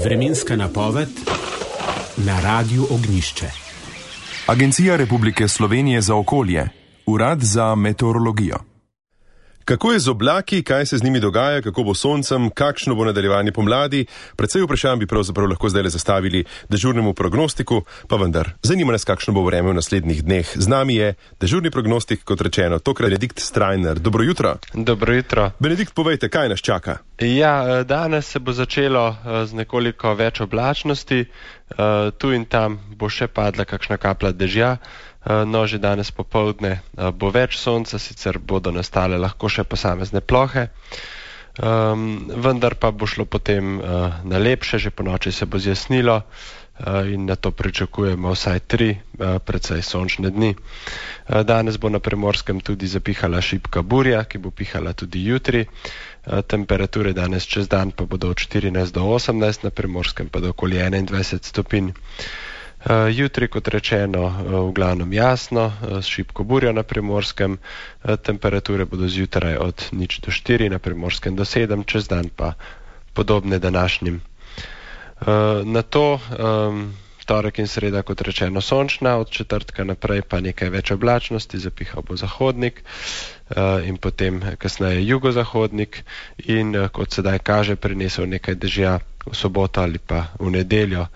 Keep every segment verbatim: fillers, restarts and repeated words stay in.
Vremenska napoved na Radiu Ognjišče. Agencija Republike Slovenije za okolje, Urad za meteorologijo. Kako je z oblaki, kaj se z njimi dogaja, kako bo soncem, kakšno bo nadaljevanje pomladi, precej vprašanj bi pravzaprav lahko zdaj le zastavili dežurnemu prognostiku, pa vendar, zanima nas, kakšno bo vreme v naslednjih dneh. Z nami je dežurni prognostik, kot rečeno, tokrat Benedikt Strajnar. Dobro jutro. Dobro jutro. Benedikt, povejte, kaj nas čaka? Ja, danes se bo začelo z nekoliko več oblačnosti, tu in tam bo še padla kakšna kaplja dežja. No, že danes popoldne bo več sonca, sicer bodo nastale lahko še posamezne plohe, um, vendar pa bo šlo potem uh, na lepše, že po noči se bo zjasnilo uh, in na to pričakujemo vsaj tri uh, precej sončne dni. Uh, danes bo na Primorskem tudi zapihala šibka burja, ki bo pihala tudi jutri. Uh, temperature danes čez dan pa bodo od štirinajst do osemnajst, na Primorskem pa do okoli enaindvajset stopinj. Uh, jutri, kot rečeno, uh, v glavnem jasno, uh, s šibko burjo na Primorskem, uh, temperature bodo zjutraj od nič do štiri, na Primorskem do sedem, čez dan pa podobne današnjim. Uh, na to um, torek in sreda, kot rečeno, sončna, od četrtka naprej pa nekaj več oblačnosti, zapihal bo zahodnik uh, in potem kasneje jugozahodnik in uh, kot sedaj kaže, prinesel nekaj dežja v soboto ali pa v nedeljo.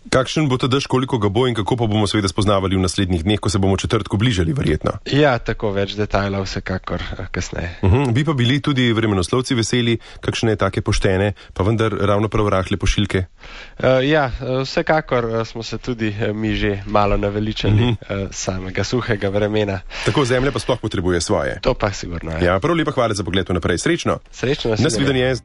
Kakšen bo ta dež, koliko ga bo in kako pa bomo seveda spoznavali v naslednjih dneh, ko se bomo četrtku bližali, verjetno? Ja, tako več detajlov vsekakor kasneje. Uh-huh. Bi pa bili tudi vremenoslovci veseli, kakšne take poštene, pa vendar ravno prav rahle pošiljke? Uh, ja, vsekakor smo se tudi mi že malo naveličali uh-huh. samega suhega vremena. Tako zemlja pa sploh potrebuje svoje. To pa sigurno je. Ja, prav lepa hvala za pogled naprej. Srečno! Srečno, nasvidenje.